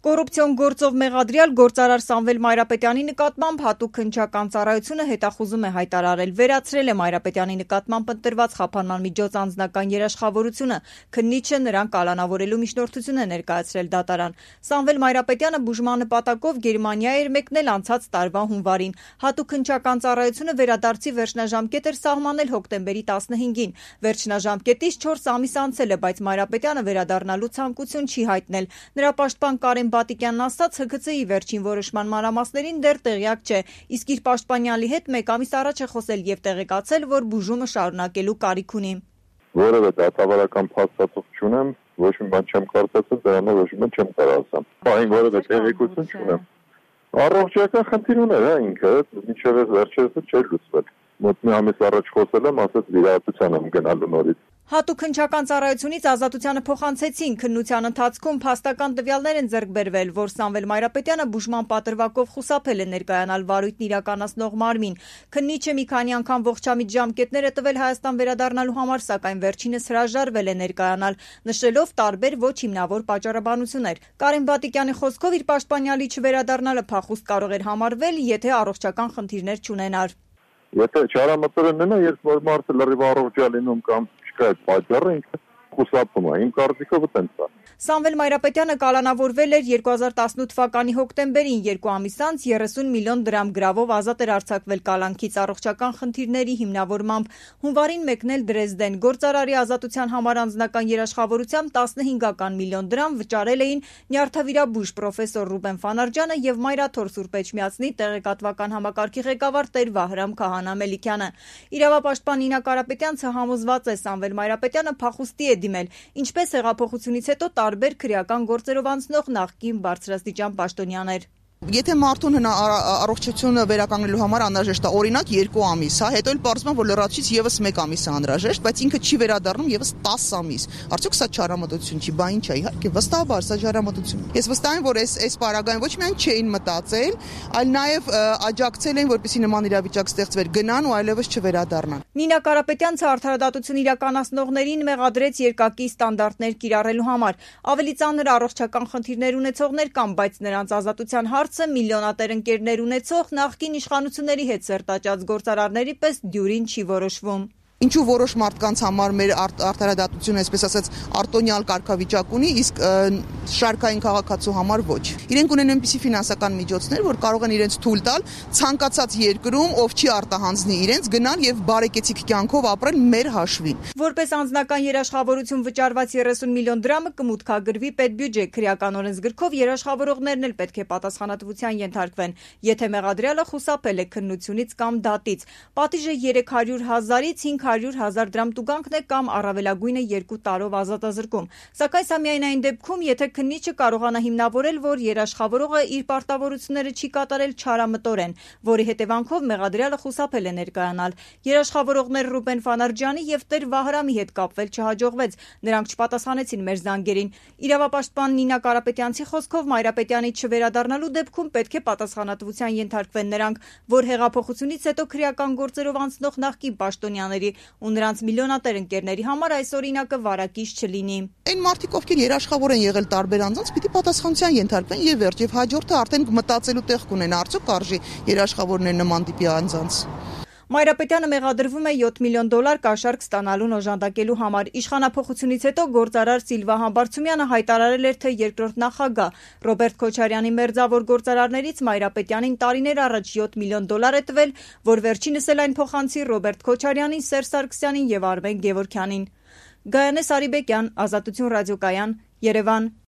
Կոռուպցիոն գործով մեղադրյալ գործարար Սամվել Մայրապետյանի նկատմամբ հատուկ քննչական ծառայությունը հետախուզում է հայտարարել, վերացրել է Մայրապետյանի նկատմամբ ընտրված խափանման միջոց անձնական երաշխավորությունը, քննիչը նրան կալանավորելու միջնորդություն է ներկայացրել դատարան։ Սամվել Մայրապետյանը բուժման նպատակով Գերմանիա էր մեկնել անցած տարվա հունվարին։ Հատուկ քննչական ծառայությունը վերադարձի վերջնաժամկետ էր սահմանել հոկտեմբերի 15-ին։ Վերջնաժամկետից 4 ամիս անցել է, բայց Մայրապետյանը վերադառնալու ցանկություն չի հայտնել։ Նրա պաշտպան Կարեն Բատիկյանն ասաց, ՀՔԾ-ի վերջին որոշման մանրամասներին դեռ տեղյակ չէ, իսկ իր պաշտպանյալի հետ մեկ ամիս առաջ է խոսել եւ տեղեկացել, որ բուժումը շարունակելու կարիք ունի։ Որևէ դատավարական փաստաթուղթ չունեմ, ոչ մի բան չեմ կարծացել, դրանով ոչ մի բան չեմ կարող ասեմ։ Այն որևէ տեղեկություն չունեմ։ Առողջական խնդիր ուներ, ինքը, մինչև վերջերս չէր լուծվել։ Մոտ մի ամիս առաջ խոսել եմ, ասաց վիրահատության եմ գնալու նորից։ Հատուկ քննչական ծառայությունից ազատությանը փոխանցեցին, քննության ընթացքում փաստական տվյալներ են ձեռք բերվել, որ Սամվել Մայրապետյանը բուժման պատրվակով խուսափել է ներկայանալ վարույթն իրականացնող մարմին։ Քննիչը մի քանի անգամ ողջամիտ ժամկետներ է տվել Հայաստան վերադառնալու համար, սակայն վերջինս հրաժարվել է ներկայանալ, նշելով տարբեր ոչ հիմնավոր պատճառաբանություններ։ Կարեն Բատիկյանի խոսքով իր պաշտպանյալի չվերադառնալը փախուստ կարող էր համարվել, եթե առողջական խնդիրներ չունենար։ Եթե չարամտորեն ննա, երբ որ մարդը լրիվ առողջ է լինում կամ չկա այդ պատճառը, ինքը խուսափում է, իմ կարծիքով այդպես է։ Սամվել Մայրապետյանը կալանավորվել էր 2018 թվականի հոկտեմբերին, 2 ամիս անց 30 միլիոն դրամ գրավով ազատ էր արձակվել կալանքից առողջական խնդիրների հիմնավորմամբ։ Հունվարին մեկնել Դրեզդեն, գործարարի ազատության համար անձնական երաշխավորությամբ 15 միլիոն դրամ վճարել էին նյարդավիրաբույժ պրոֆեսոր Ռուբեն Ֆանարջյանը եւ Մայրաթոր Սուրբ Էջմիածնի տեղեկատվական համակարգի ղեկավար Տեր Վահրամ Քահանա Մելիքյանը։ Իրավապաշտպան Նինա Կարապետյանցը համոզված է, Սամվել Մայրապետյանը փախուստի է դիմել, ինչպես հեղափոխությունից հետո տարբեր քրեական գործերով անցնող նախկին բարձրաստիճան պաշտոնյաներ։ Եթե մարդուն առողջությունը վերականգնելու համար անհրաժեշտ է օրինակ 2 ամիս, հետո էլ պարզվում է, որ լրացուցիչ եւս 1 ամիս է անհրաժեշտ, բայց ինքը չի վերադառնում եւս 10 ամիս։ Արդյոք սա չարամտություն չի, բա ինչ է, իհարկե, վստահաբար սա չարամտություն է։ Ես վստահ եմ, որ այս պարագային ոչ միայն չէին մտածել, այլ նաեւ աջակցել էին, որպեսզի նման իրավիճակ ստեղծվեր, գնան ու այլևս չվերադառնան։ Նինա Կարապետյանցը արդարադատություն իրականացնողներին մեղադրեց երկակի ստանդարտներ կիրառելու համար։ Ավելի ծանր առողջական խնդիրներ ունեցողներ կան, բայց նրանց ազատության հարցը միլիոնատեր ընկերներ ունեցող նախկին իշխանությունների հետ սերտաճած գործարարների պես դյուրին չի որոշվում։ Ինչու որոշ մարդկանց համար մեր արդարադատությունը, այսպես ասած, արտոնյալ կարգավիճակ ունի, իսկ շարքային քաղաքացու համար ոչ։ Իրենք ունեն այնպիսի ֆինանսական միջոցներ, որ կարող են իրենց թույլ տալ ցանկացած երկրում, ով չի արտահանձնի իրենց, գնալ եւ բարեկեցիկ կյանքով ապրել մեր հաշվին։ Որպես անձնական երաշխավորություն վճարված 30 միլիոն դրամը կմուտքագրվի պետբյուջե, քրեական օրենսգրքով երաշխավորողներն էլ պետք է պատասխանատվության ենթարկվեն, եթե մեղադրյալը խուսափել է քննությունից կամ դատից։ Պատիժը 300,000-ից 500,000 դրամ տուգանքն է կամ առավելագույնը 2 տարով ազատազրկում։ Սակայն սա միայն այն դեպքում, եթե քննիչը կարողանա հիմնավորել, որ երաշխավորողը իր պարտավորությունները չի կատարել չարամտորեն, որի հետևանքով մեղադրյալը խուսափել է ներկայանալ։ Երաշխավորողներ Ռուբեն Ֆանարջյանի եւ Տեր Վահրամի հետ կապվել չհաջողվեց, նրանք չպատասխանեցին մեր զանգերին։ Իրավապաշտպան Նինա Կարապետյանցի խոսքով Մայրապետյանի չվերադառնալու դեպքում պետք է պատասխանատվության ենթարկվեն նրանք, որ հեղափոխությունից հետո քրեական գործերով անցնող նախկին պաշտոնյաների ու նրանց միլիոնատեր ընկերների համար այս օրինակը վարակիչ չլինի։ Այն մարդիկ, ովքեր երաշխավոր են եղել տարբեր անձանց, պիտի պատասխանատվության ենթարկվեն եւ վերջ, եւ հաջորդը արդեն մտածելու տեղ կունենա, արդյոք արժի երաշխավորներ նման տիպի անձանց։ Մայրապետյանը մեղադրվում է $7 միլիոն կաշառք ստանալուն օժանդակելու համար։ Իշխանափոխությունից հետո գործարար Սիլվա Համբարձումյանը հայտարարել էր, թե երկրորդ նախագահ Ռոբերտ Քոչարյանի մերձավոր գործարարներից Մայրապետյանին տարիներ առաջ $7 միլիոն է տվել, որ վերջինս էլ այն փոխանցի Ռոբերտ Քոչարյանին, Սերժ Սարգսյանին եւ Արմեն Գևորգյանին։ Գայանե Սարիբեկյան, Ազատություն ռադիոկայան, Երևան։